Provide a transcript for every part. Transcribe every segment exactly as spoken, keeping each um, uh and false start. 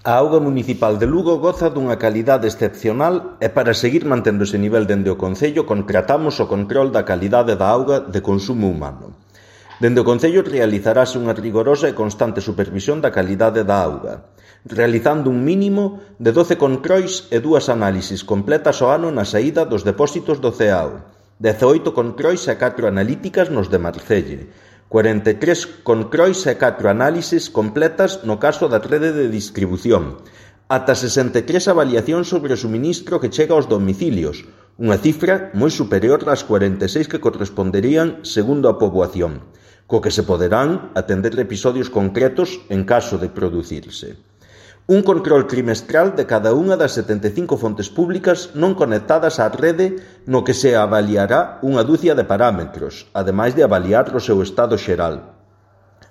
A auga municipal de Lugo goza dunha calidade excepcional e para seguir mantendo ese nivel dende o Concello contratamos o control da calidade da auga de consumo humano. Dende o Concello realizarase unha rigorosa e constante supervisión da calidade da auga, realizando un mínimo de doce controis e dúas análisis completas ao ano na saída dos depósitos do C E A O, dezaoito controis e catro analíticas nos de Marcelle, cuarenta e tres controis e catro análisis completas no caso da rede de distribución, ata sesenta e tres avaliacións sobre o suministro que chega aos domicilios, unha cifra moi superior ás cuarenta e seis que corresponderían segundo a poboación, co que se poderán atender episodios concretos en caso de producirse. Un control trimestral de cada unha das setenta e cinco fontes públicas non conectadas á rede no que se avaliará unha dúcia de parámetros, ademais de avaliar o seu estado xeral.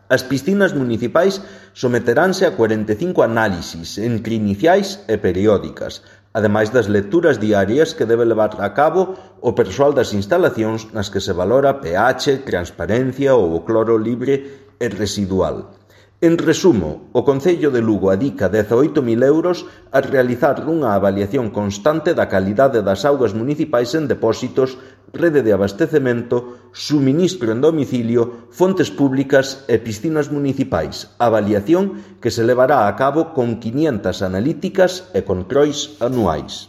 As piscinas municipais someteránse a cuarenta e cinco análisis entre iniciais e periódicas, ademais das lecturas diarias que debe levar a cabo o persoal das instalacións nas que se valora pH, transparencia ou o cloro libre e residual. En resumo, o Concello de Lugo adica dezaoito mil euros a realizar unha avaliación constante da calidade das augas municipais en depósitos, rede de abastecemento, suministro en domicilio, fontes públicas e piscinas municipais, avaliación que se levará a cabo con quinientas analíticas e controis anuais.